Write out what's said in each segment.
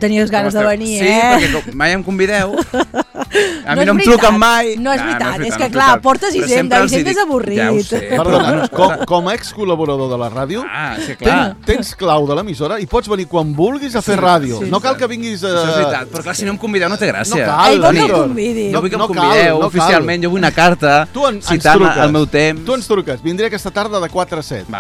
Tenies ganes de venir, Sí, perquè mai em convideu. A mi no em és truquen mai. No és veritat, és que clar, portes Hisenda, Hisenda és avorrit. Ja ho sé. Perdona, com a ex-col·laborador de la ràdio, sí, clar. tens clau de l'emissora i pots venir quan vulguis a fer ràdio. No cal que vinguis a... Això és veritat, però clar, si no em convideu no té gràcia. No cal, vol que el convidi. Jo vull que em convideu oficialment, jo vull una carta citant el meu temps. Tu ens truques, vindré aquesta tarda de 4 a 7.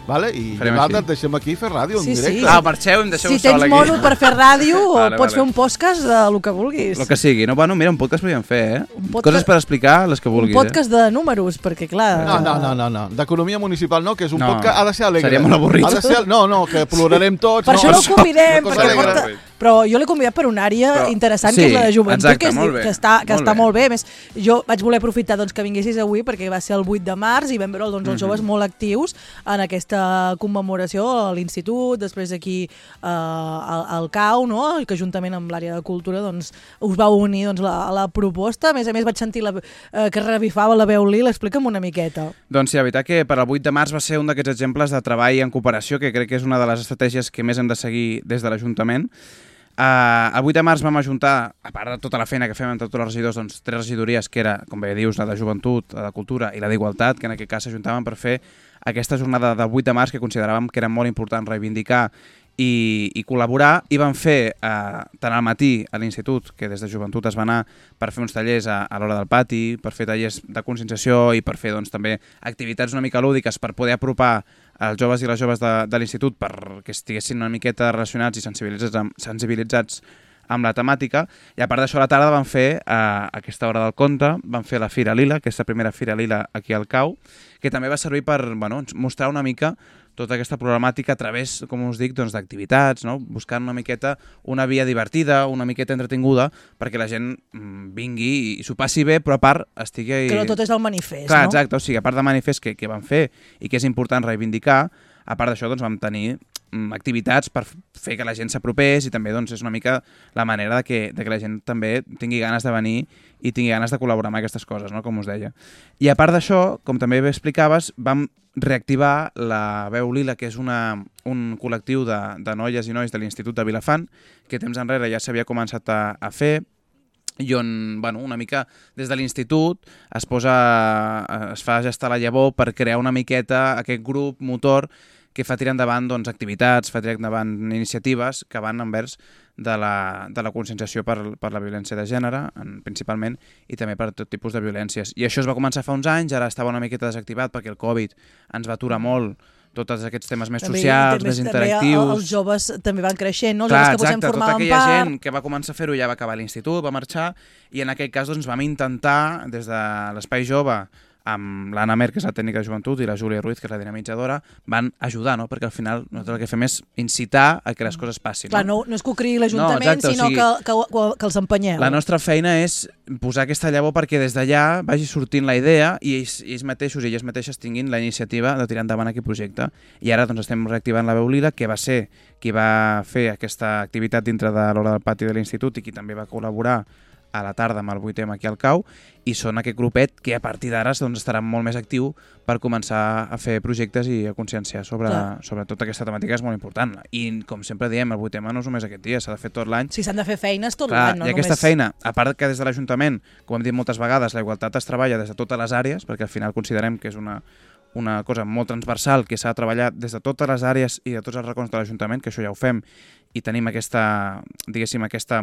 Vale. I nosaltres et deixem aquí fer ràdio en directe. Marxeu i em deixeu sol aquí. Si tens mono per fer ràdio, pots fer un podcast del que vulguis. El que sigui. No, bueno, mira, un podcast podríem fer, Coses per explicar, les que vulguis. Un podcast de números, perquè clar... No. D'economia municipal no, que és un podcast... Ha de ser alegre. Seria molt avorrit. No, que plorarem tots. Per això no el convidem, però jo l'he convidat per una àrea interessant, que és la de joventut, que està molt bé. A més, jo vaig voler aprofitar que vinguessis avui, perquè va ser el 8 de març i vam veure els joves molt actius en aquesta commemoració a l'institut, després aquí al CAU, que juntament amb l'àrea de cultura us vau unir a la proposta. A més vaig sentir que revifava la veu Lila. Explica'm una miqueta. Doncs sí, la veritat que per al 8 de març va ser un d'aquests exemples de treball en cooperació, que crec que és una de les estratègies que més hem de seguir des de l'Ajuntament. El 8 de març vam ajuntar, a part de tota la feina que fem entre tots els regidors, 3 regidories, que era, com bé dius, la de joventut, la de cultura i la d'igualtat, que en aquest cas s'ajuntaven per fer aquesta jornada del 8 de març que consideràvem que era molt important reivindicar i col·laborar, i vam fer tant al matí a l'institut, que des de joventut es va anar per fer uns tallers a l'hora del pati, per fer tallers de conscienciació i per fer també activitats una mica lúdiques per poder apropar els joves i les joves de l'institut perquè estiguessin una miqueta relacionats i sensibilitzats amb la temàtica. I a part d'això, a la tarda vam fer, a aquesta hora del conte, vam fer la Fira Lila, aquesta primera Fira Lila aquí al CAU, que també va servir per mostrar una mica tota aquesta problemàtica a través, com us dic, d'activitats, buscant una miqueta una via divertida, una miqueta entretinguda, perquè la gent vingui i s'ho passi bé, però a part estigui... Que no tot és el manifest, Clar, exacte, o sigui, a part del manifest que vam fer i que és important reivindicar, a part d'això vam tenir activitats per fer que la gent s'apropés i també és una mica la manera que la gent també tingui ganes de venir i tingui ganes de col·laborar amb aquestes coses, com us deia. I a part d'això, com també bé explicaves, vam reactivar la Veu Lila, que és un col·lectiu de noies i nois de l'Institut de Vilafant, que temps enrere ja s'havia començat a fer, i on una mica des de l'institut es fa gestar la llavor per crear una miqueta aquest grup motor que fa tirar endavant activitats, fa tirar endavant iniciatives que van envers de la conscienciació per la violència de gènere, principalment, i també per tot tipus de violències. I això es va començar fa uns anys, ara estava una miqueta desactivat perquè el Covid ens va aturar molt tots aquests temes més socials, més interactius. Els joves també van creixent, no? Clar, exacte, tota aquella gent que va començar a fer-ho ja va acabar l'institut, va marxar, i en aquest cas vam intentar, des de l'Espai Jove, amb l'Anna Mer, que és la tècnica de joventut, i la Júlia Ruiz, que és la dinamitzadora, van ajudar, perquè al final nosaltres el que fem és incitar a que les coses passin. Clar, no és que ho creï l'Ajuntament, sinó que els empenyeu. La nostra feina és posar aquesta llavor perquè des d'allà vagi sortint la idea i ells mateixos i elles mateixes tinguin la iniciativa de tirar endavant aquest projecte. I ara estem reactivant la Veu Lila, que va ser qui va fer aquesta activitat dintre de l'hora del pati de l'institut i qui també va col·laborar a la tarda amb el 8M aquí al CAU, i són aquest grupet que a partir d'ara estarà molt més actiu per començar a fer projectes i a conscienciar sobre tota aquesta temàtica, és molt important. I com sempre diem, el 8M no és només aquest dia, s'ha de fer tot l'any. Sí, s'han de fer feines tot l'any, no només... I aquesta feina, a part que des de l'Ajuntament, com hem dit moltes vegades, la igualtat es treballa des de totes les àrees, perquè al final considerem que és una cosa molt transversal, que s'ha de treballar des de totes les àrees i de tots els racons de l'Ajuntament, que això ja ho fem, i tenim aquesta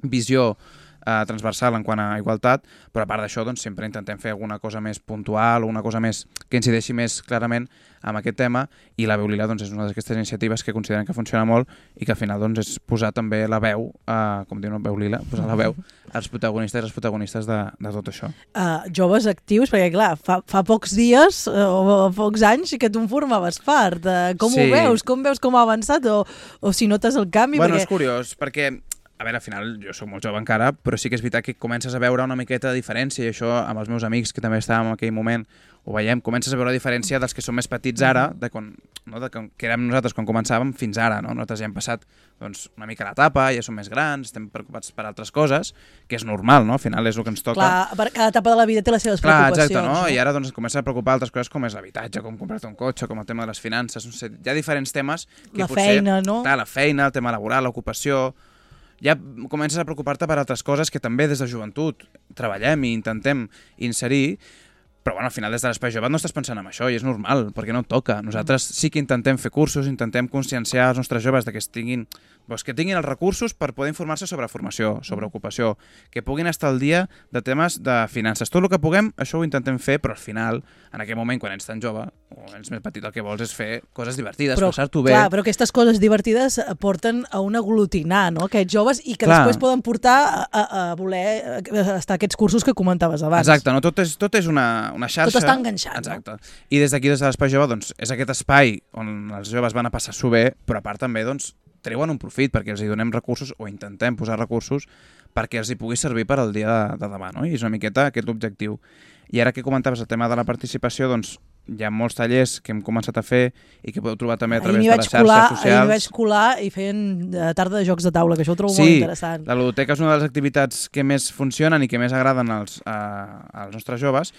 visió transversal en quant a igualtat, però a part d'això sempre intentem fer alguna cosa més puntual o una cosa més que incideixi més clarament amb aquest tema, i la Veu Lila és una d'aquestes iniciatives que consideren que funciona molt i que al final és posar també la veu, com diu Veu Lila, posar la veu als protagonistes i les protagonistes de tot això. Joves actius, perquè clar, fa pocs dies o pocs anys que tu en formaves part. Com ho veus? Com veus com ha avançat o si notes el canvi? Bueno, és curiós, perquè a veure, al final jo soc molt jove encara, però sí que és veritat que comences a veure una miqueta de diferència, i això amb els meus amics que també estàvem en aquell moment ho veiem, comences a veure la diferència dels que són més petits ara, que érem nosaltres quan començàvem fins ara, no? Nosaltres ja hem passat una mica l'etapa, ja som més grans, estem preocupats per altres coses, que és normal, no? Al final és el que ens toca. Clar, cada etapa de la vida té les seves preocupacions. Exacte, no? I ara es comença a preocupar altres coses com és l'habitatge, com comprar-te un cotxe, com el tema de les finances, no sé, hi ha diferents temes que la feina, no? Clar, la feina, el tema laboral, l'ocupació. Ja comences a preocupar-te per altres coses que també des de joventut treballem i intentem inserir, però bueno, al final des de l'Espai Jove no estàs pensant en això i és normal, perquè no et toca. Nosaltres sí que intentem fer cursos, intentem conscienciar els nostres joves de que tinguin els recursos per poder informar-se sobre formació, sobre ocupació, que puguin estar al dia de temes de finances. Tot el que puguem, això ho intentem fer, però al final, en aquell moment, quan ets tan jove o ets més petit, el que vols és fer coses divertides, passar-t'ho bé. Clar, però aquestes coses divertides porten a un aglutinar, no?, aquests joves, i que després poden portar a voler estar aquests cursos que comentaves abans. Exacte, no? Tot és una xarxa. Tot està enganxat. Exacte. No? I des d'aquí, des de l'Espai Jove, és aquest espai on els joves van a passar-s'ho bé, però a part també, treuen un profit perquè els hi donem recursos o intentem posar recursos perquè els hi pugui servir per al dia de demà, no? I és una miqueta aquest l'objectiu. I ara que comentaves el tema de la participació, hi ha molts tallers que hem començat a fer i que podeu trobar també a través de les xarxes socials. Ahir m'hi vaig colar i feien tarda de jocs de taula, que això ho trobo molt interessant. Sí, la ludoteca és una de les activitats que més funcionen i que més agraden als nostres joves,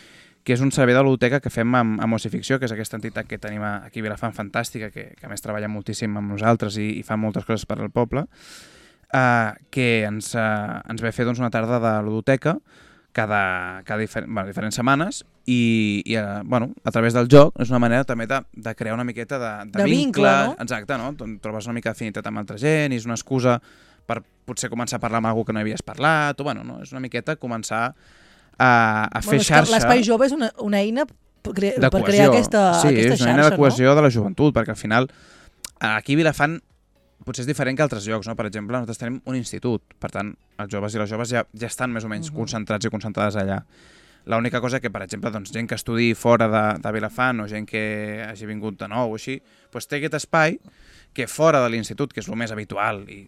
que és un servei de ludoteca que fem amb Ocificció, que és aquesta entitat que tenim aquí a Vilafant, fantàstica, que a més treballa moltíssim amb nosaltres i fa moltes coses per al poble, que ens ve fer una tarda de ludoteca cada diferents setmanes i a través del joc és una manera també de crear una miqueta de vincle, no? Exacte, no? Trobes una mica d'afinitat amb altra gent i és una excusa per potser començar a parlar amb algú que no havies parlat, o és una miqueta començar a fer xarxa. L'Espai Jove és una eina per crear aquesta xarxa. Sí, és una eina de cohesió de la joventut, perquè al final aquí a Vilafant potser és diferent que altres llocs, no? Per exemple, nosaltres tenim un institut, per tant, els joves i les joves ja estan més o menys concentrats i concentrades allà. L'única cosa que, per exemple, gent que estudi fora de Vilafant o gent que hagi vingut de nou o així, té aquest espai que fora de l'institut, que és el més habitual, i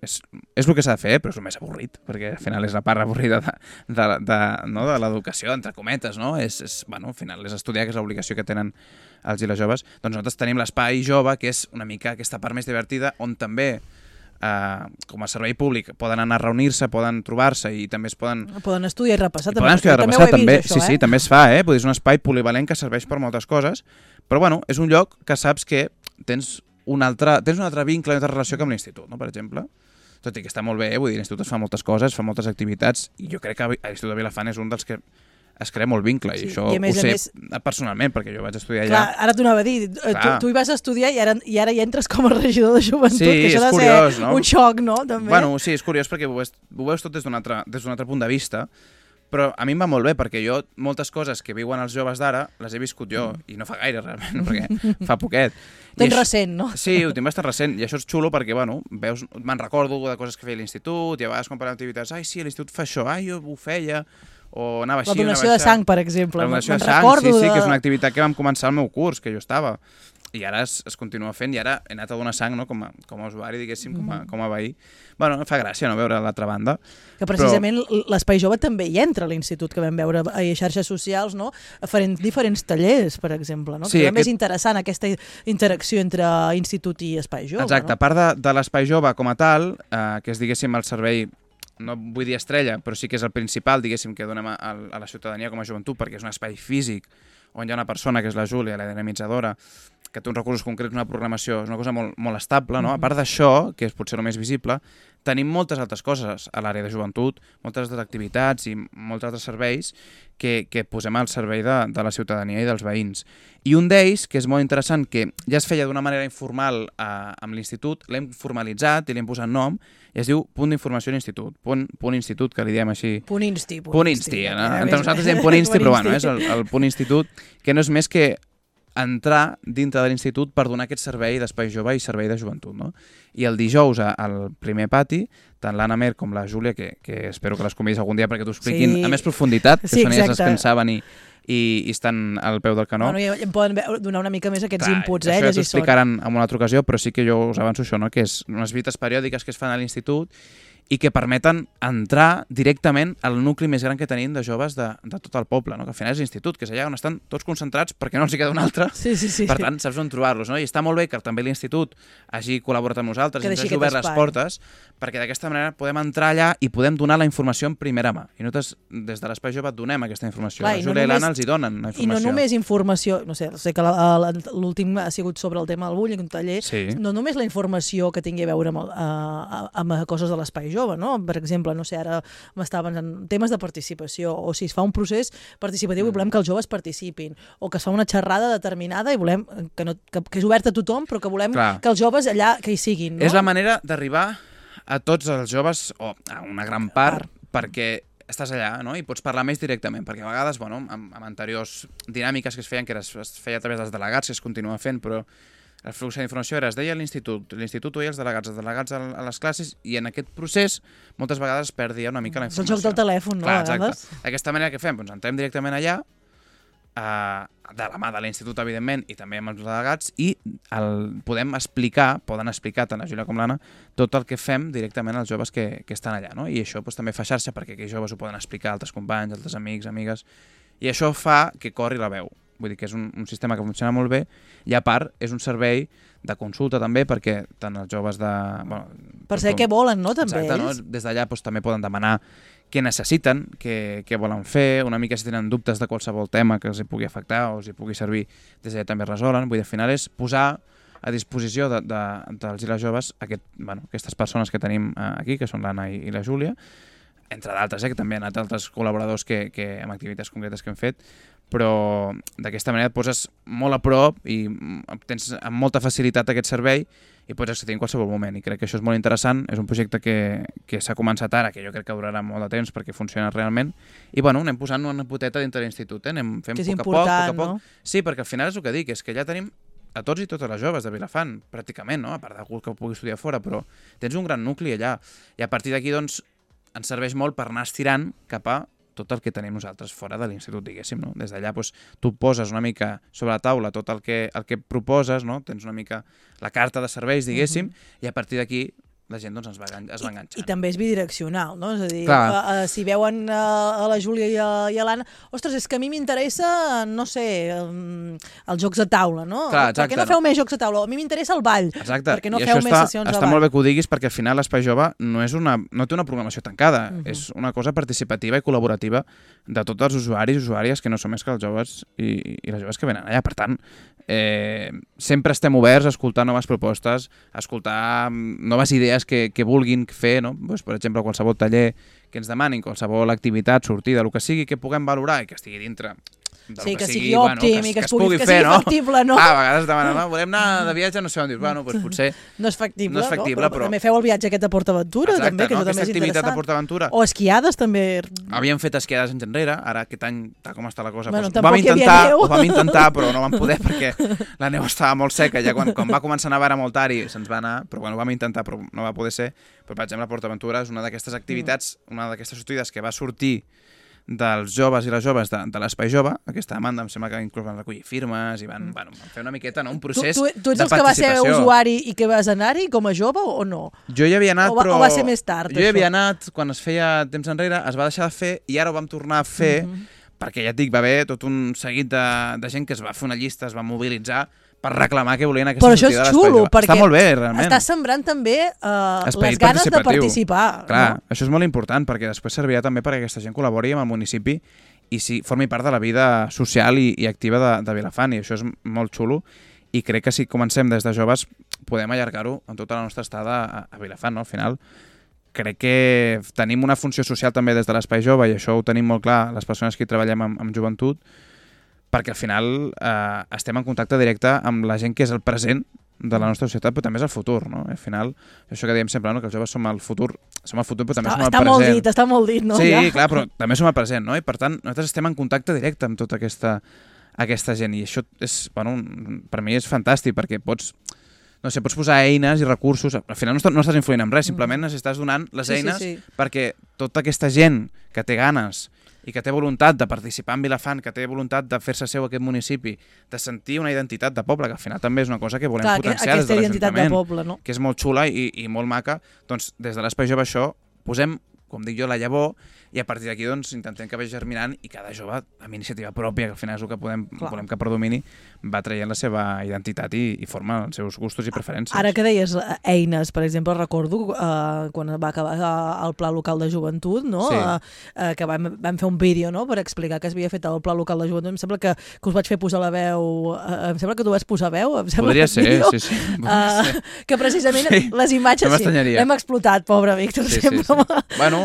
és el que s'ha de fer, però és el més avorrit, perquè al final és la part avorrida de l'educació, entre cometes, no? Al final és estudiar, que és l'obligació que tenen els i les joves. Doncs nosaltres tenim l'Espai Jove, que és una mica aquesta part més divertida, on també com a servei públic poden anar a reunir-se, poden trobar-se i també es poden estudiar i repassar. També. Sí, també es fa, és un espai polivalent que serveix per moltes coses, però és un lloc que saps que tens un altre vincle, una altra relació que amb l'institut, no? Per exemple. Tot i que està molt bé, vull dir, l'institut es fa moltes coses, fa moltes activitats, i jo crec que l'Institut de Vilafant és un dels que es crea molt vincle, i això ho sé personalment, perquè jo vaig estudiar allà. Clar, ara t'ho anava a dir, tu hi vas estudiar i ara hi entres com a regidor de joventut, que això ha de ser un xoc, no? També. Sí, és curiós perquè ho veus tot des d'un altre punt de vista, però a mi em va molt bé, perquè jo moltes coses que viuen els joves d'ara les he viscut jo, i no fa gaire realment, perquè fa poquet. Tens recent, no? Sí, ho tinc bastant recent, i això és xulo perquè, veus, me'n recordo de coses que feia l'institut, i a vegades quan parlem d'activitats, sí, l'institut fa això, jo ho feia, o anava així, la donació de sang, per exemple. La donació de sang, sí, que és una activitat que vam començar al meu curs, que jo estava, i ara es continua fent, i ara he anat a donar sang, no? com a usuari, diguéssim, com a veí. Fa gràcia no veure l'altra banda. Que precisament l'Espai Jove també hi entra a l'institut, que vam veure a xarxes socials, no? Diferents tallers, per exemple, no? Sí, que és interessant aquesta interacció entre institut i Espai Jove. Exacte, a part de l'Espai Jove com a tal, que és, diguéssim, el servei, no vull dir estrella, però sí que és el principal, diguéssim, que donem a la ciutadania com a joventut, perquè és un espai físic on hi ha una persona, que és la Júlia, la dinamitzadora, que té uns recursos concrets, una programació, és una cosa molt estable, no? A part d'això, que és potser el més visible, tenim moltes altres coses a l'àrea de joventut, moltes altres activitats i molts altres serveis que posem al servei de la ciutadania i dels veïns. I un d'ells, que és molt interessant, que ja es feia d'una manera informal amb l'institut, l'hem formalitzat i l'hem posat nom, i es diu Punt d'Informació a l'Institut, punt institut, que li diem així. Punt insti. Entre nosaltres diem punt insti, però és el punt institut, que no és més que entrar dintre de l'institut per donar aquest servei d'Espai Jove i servei de joventut, no? I el dijous al primer pati, tant l'Anna Mer com la Júlia, que espero que les convidis algun dia perquè t'ho expliquin a més profunditat, que són elles les que en saben i estan al peu del canó. Bueno, i em poden donar una mica més aquests inputs, això ja llegir t'ho explicaran en una altra ocasió, però sí que jo us avanço això, no? Que és unes visites periòdiques que es fan a l'institut i que permeten entrar directament al nucli més gran que tenim de joves de tot el poble, no? Que al final és l'institut, que és allà on estan tots concentrats perquè no els hi queda un altre. Sí. Per tant, saps on trobar-los, no? I està molt bé que també l'institut hagi col·laborat amb nosaltres i ens hagi obert les portes, perquè d'aquesta manera podem entrar allà i podem donar la informació en primera mà. I nosaltres, des de l'Espai Jove, donem aquesta informació. La Júlia i l'Anna els hi donen la informació. I no només informació, no sé que l'últim ha sigut sobre el tema del bullying, un taller, no només la informació que tingui a veure amb coses de l'Espai Jove, no? Per exemple, no sé, ara m'estava pensant en temes de participació, o si es fa un procés participatiu i volem que els joves participin, o que es fa una xerrada determinada i volem que és oberta a tothom, però que volem que els joves allà que hi siguin. No? És la manera d'arribar a tots els joves, o a una gran part, perquè estàs allà, no? I pots parlar més directament, perquè a vegades, bueno, amb anteriors dinàmiques que es feien, que es feia a través dels delegats, que es continua fent, però el flux d'informació es deia a l'institut ho deia als delegats a les classes, i en aquest procés moltes vegades es perdia una mica la informació. És el joc del telèfon, no? Clar, exacte. D'aquesta manera que fem? Doncs entrem directament allà, de la mà de l'institut, evidentment, i també amb els delegats, i poden explicar tant la Júlia com l'Anna, tot el que fem directament als joves que estan allà, no? I això també fa xarxa, perquè aquells joves ho poden explicar a altres companys, altres amics, amigues, i això fa que corri la veu. Vull dir que és un sistema que funciona molt bé, i a part és un servei de consulta també, perquè tant els joves de... Bueno, per saber què volen, no? També exacte, no? Des d'allà també poden demanar què necessiten, què volen fer, una mica si tenen dubtes de qualsevol tema que els hi pugui afectar o els hi pugui servir, des d'allà també resolen. Vull dir, al final és posar a disposició dels i les joves aquestes persones que tenim aquí, que són l'Anna i la Júlia, entre d'altres, que també han anat altres col·laboradors amb activitats concretes que hem fet, però d'aquesta manera et poses molt a prop i tens amb molta facilitat aquest servei i pots accedir en qualsevol moment, i crec que això és molt interessant. És un projecte que s'ha començat ara, que jo crec que durarà molt de temps perquè funciona realment, i bueno, anem posant una poteta dintre l'institut, anem fent poc a poc. No? Sí, perquè al final és el que dic, és que ja tenim a tots i totes les joves de Vilafant, pràcticament, no? A part d'algú que pugui estudiar fora, però tens un gran nucli allà, i a partir d'aquí doncs ens serveix molt per anar estirant cap a tot el que tenim nosaltres fora de l'institut, diguéssim, no? Des d'allà tu poses una mica sobre la taula tot el que proposes, no? Tens una mica la carta de serveis, diguéssim, i a partir d'aquí la gent doncs, es va enganxant. I també és bidireccional, no? És a dir, si veuen a la Júlia i a l'Anna, ostres, és que a mi m'interessa, no sé, els jocs de taula, no? Clar, per què no feu més jocs de taula? A mi m'interessa el ball. Exacte. Per què no feu més sessions de ball? Està molt bé que ho diguis, perquè al final l'Espai Jove no té una programació tancada, és una cosa participativa i col·laborativa de tots els usuaris i usuàries que no són més que els joves i les joves que venen allà. Per tant, sempre estem oberts a escoltar noves propostes, a escoltar noves idees que vulguin fer, no? Pues, per exemple, qualsevol taller que ens demanin, qualsevol activitat, sortida, el que sigui, que puguem valorar i que estigui dintre sí, que sigui òptim i que sigui factible, no? A vegades demanen, volem anar de viatge, no sé on dir, bueno, doncs potser no és factible, però també feu el viatge aquest a PortAventura, també, que això també és interessant. Activitat a PortAventura. O esquiades, també. Havíem fet esquiades anys enrere, ara aquest any, tal com està la cosa, ho vam intentar, però no vam poder perquè la neu estava molt seca, ja quan va començar a nevar molt tard i se'ns va anar, però bueno, ho vam intentar, però no va poder ser. Però, per exemple, PortAventura és una d'aquestes activitats, una d'aquestes sortides que va sortir dels joves i les joves de l'Espai Jove. Aquesta demanda em sembla que inclús van recollir firmes i van fer una miqueta, no? Un procés de participació. Tu ets els que va ser usuari i que vas anar-hi com a jove o no? Jo hi havia anat, però... O va ser més tard, Jo hi havia anat quan es feia temps enrere, es va deixar de fer i ara ho vam tornar a fer perquè, ja et dic, va haver tot un seguit de gent que es va fer una llista, es va mobilitzar per reclamar que volien aquesta sortida de l'Espai Jove. Però això és xulo, perquè està molt bé, realment. Estàs sembrant també les ganes de participar. Clar, això és molt important, perquè després servirà també perquè aquesta gent col·labori amb el municipi i formi part de la vida social i activa de Vilafant, i això és molt xulo, i crec que si comencem des de joves podem allargar-ho en tota la nostra estada a Vilafant, no? Al final crec que tenim una funció social també des de l'Espai Jove, i això ho tenim molt clar les persones que hi treballem amb joventut, perquè al final estem en contacte directe amb la gent que és el present de la nostra societat, però també és el futur, no? Al final, això que diem sempre, no? Que els joves som el futur, però també som el present. Està molt dit, no? Sí, clar, però també som el present, no? I per tant, nosaltres estem en contacte directe amb tota aquesta gent, i això és, bueno, per mi és fantàstic, perquè pots posar eines i recursos, al final no estàs influint en res, simplement estàs donant les eines perquè tota aquesta gent que té ganes i que té voluntat de participar en Vilafant, que té voluntat de fer-se seu aquest municipi, de sentir una identitat de poble, que al final també és una cosa que volem potenciar des de l'Ajuntament, que és molt xula i molt maca, doncs des de l'Espai Jove això posem, com dic jo, la llavor, i a partir d'aquí doncs, intentem que vagi germinant i cada jove amb iniciativa pròpia, que al final és el que volem que predomini, va traient la seva identitat i forma els seus gustos i preferències. Ara que deies eines, per exemple, recordo quan va acabar el Pla Local de Joventut, no? Que vam fer un vídeo, no?, per explicar que s'havia fet el Pla Local de Joventut. Em sembla que us vaig fer posar la veu... Em sembla que tu vas posar veu. Podria ser, sí. Que precisament les imatges l'hem explotat, pobre Víctor. Bueno...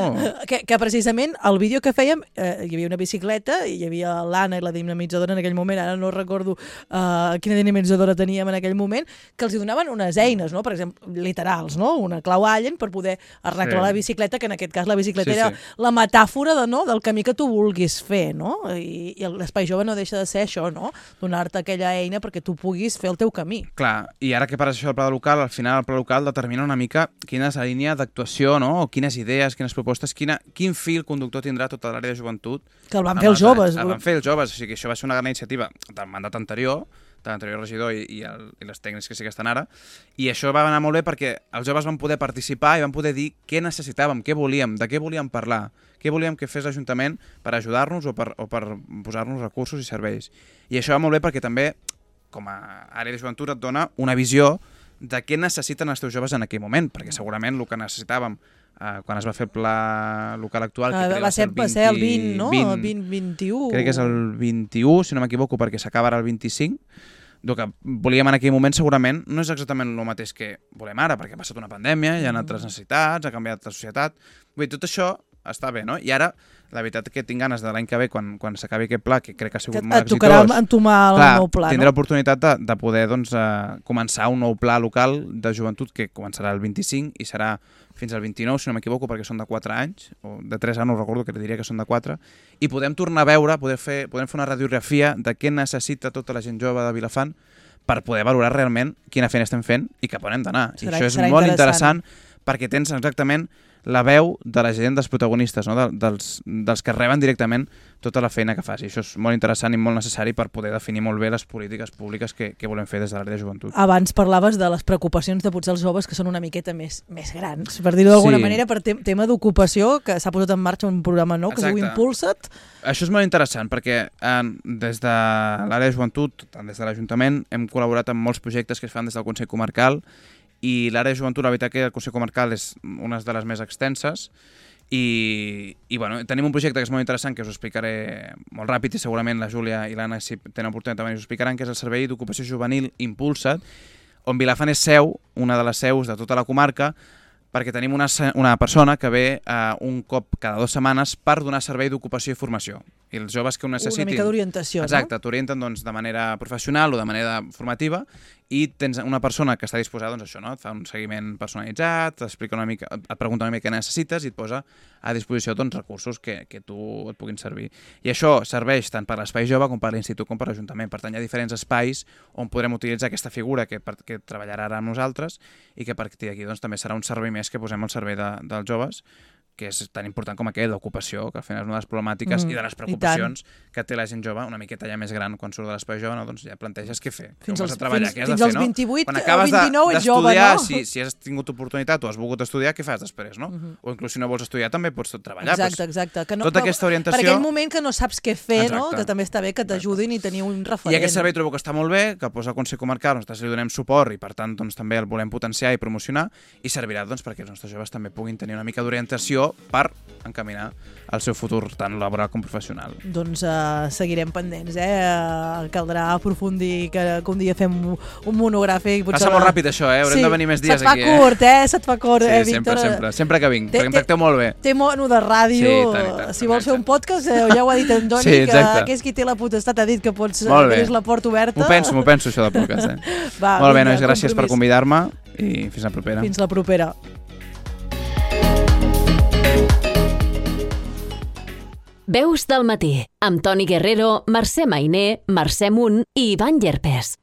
Que precisament el vídeo que fèiem, hi havia una bicicleta i hi havia l'Anna i la dinamitzadora en aquell moment, ara no recordo quina dinamitzadora teníem en aquell moment, que els donaven unes eines, no? Per exemple, literals, no? Una clau Allen per poder arreglar la bicicleta, que en aquest cas la bicicleta era la metàfora del camí que tu vulguis fer, no? I l'Espai Jove no deixa de ser això, no? Donar-te aquella eina perquè tu puguis fer el teu camí. Clar, i ara que parles això del pla local, al final el pla local determina una mica quina és la línia d'actuació, no? O quines idees, quines propostes, quin fil conductor tindrà tota l'àrea de joventut. Que el van fer els joves. El van fer els joves, o sigui que això va ser una gran iniciativa del mandat anterior, de l'anterior regidor i les tècnics que sí que estan ara, i això va anar molt bé perquè els joves van poder participar i van poder dir què necessitàvem, què volíem, de què volíem parlar, què volíem que fes l'Ajuntament per ajudar-nos o per posar-nos recursos i serveis. I això va molt bé perquè també, com a àrea de joventut, et dona una visió de què necessiten els teus joves en aquell moment, perquè segurament el que necessitàvem quan es va fer el pla local actual, que va ser el 20, no? El 2021. Crec que és el 21, si no m'equivoco, perquè s'acaba ara el 25. El que volíem en aquell moment segurament no és exactament el mateix que volem ara, perquè ha passat una pandèmia, hi ha altres necessitats, ha canviat la societat. Vull dir, tot això està bé, no? I ara, la veritat que tinc ganes de l'any que ve, quan s'acabi aquest pla, que crec que ha sigut molt exitós... Et tocarà entomar el nou pla, no? Tindré l'oportunitat de poder començar un nou pla local de joventut que començarà el 25 i serà fins al 29, si no m'equivoco, perquè són de 4 anys, o de 3 anys, no recordo, que diria que són de 4, i podem tornar a veure, podem fer una radiografia de què necessita tota la gent jove de Vilafant per poder valorar realment quina feina estem fent i cap on hem d'anar. I això és molt interessant perquè tens exactament la veu de la gent, dels protagonistes, no? dels que reben directament tota la feina que fas. I això és molt interessant i molt necessari per poder definir molt bé les polítiques públiques que volem fer des de l'àrea de joventut. Abans parlaves de les preocupacions de potser els joves que són una miqueta més grans, per dir-ho d'alguna manera, per tema d'ocupació, que s'ha posat en marxa un programa nou que es diu Impulsa't. Això és molt interessant perquè des de l'àrea de joventut, tant des de l'Ajuntament, hem col·laborat amb molts projectes que es fan des del Consell Comarcal, i l'àrea de joventut, la veritat que el Consell Comarcal és una de les més extenses i bueno, tenim un projecte que és molt interessant, que us explicaré molt ràpid i segurament la Júlia i l'Anna, si tenen oportunitat també us explicaran, que és el Servei d'Ocupació Juvenil Impulsa't, on Vilafant és una de les seus de tota la comarca, perquè tenim una persona que ve un cop cada 2 setmanes per donar servei d'ocupació i formació. I els joves que ho necessitin... Una mica d'orientació, no? Exacte, t'orienten de manera professional o de manera formativa i tens una persona que està disposada a això, no? Et fa un seguiment personalitzat, t'explica una mica, et pregunta una mica què necessites i et posa a disposició recursos que tu et puguin servir. I això serveix tant per l'Espai Jove com per l'Institut com per l'Ajuntament. Per tant, hi ha diferents espais on podrem utilitzar aquesta figura que treballarà ara amb nosaltres i que a partir d'aquí també serà un servei més que posem al servei dels joves, que és tan important com aquell d'ocupació, que al final és una de les problemàtiques i de les preocupacions que té la gent jove, una miqueta ja més gran, quan surt de l'Espai Jove, no? Doncs ja planteges què fer, què vas a treballar, què has de fer, no? Fins als 28 o 29 ets jove, no? Si has tingut oportunitat o has volgut estudiar, què fas després, no? O inclús si no vols estudiar també pots treballar. Exacte. Tota aquesta orientació... Per aquell moment que no saps què fer, no? Que també està bé que t'ajudin i tenir un referent. I aquest servei trobo que està molt bé, que posa el Consell Comarcal, nosaltres li donem suport i per tant també el volem potenciar i promocionar i servirà perquè els nostres joves també puguin tenir una mica d'orientació per encaminar el seu futur tant laboral com professional. Doncs seguirem pendents, caldrà aprofundir, que un dia fem un monogràfic. Passa molt ràpid això, haurem de venir més dies aquí. Se't fa curt, Víctor. Sempre que vinc, perquè em tracteu molt bé. Té mono de ràdio, si vols fer un podcast, ja ho ha dit en Doni, que és qui té la potestat, ha dit que pots tenir la porta oberta. M'ho penso això del podcast. Molt bé, nois, gràcies per convidar-me i fins la propera. Fins la propera. Veus del matí, amb Toni Guerrero, Mercè Mainer, Mercè Munt i Ivan Llerpés.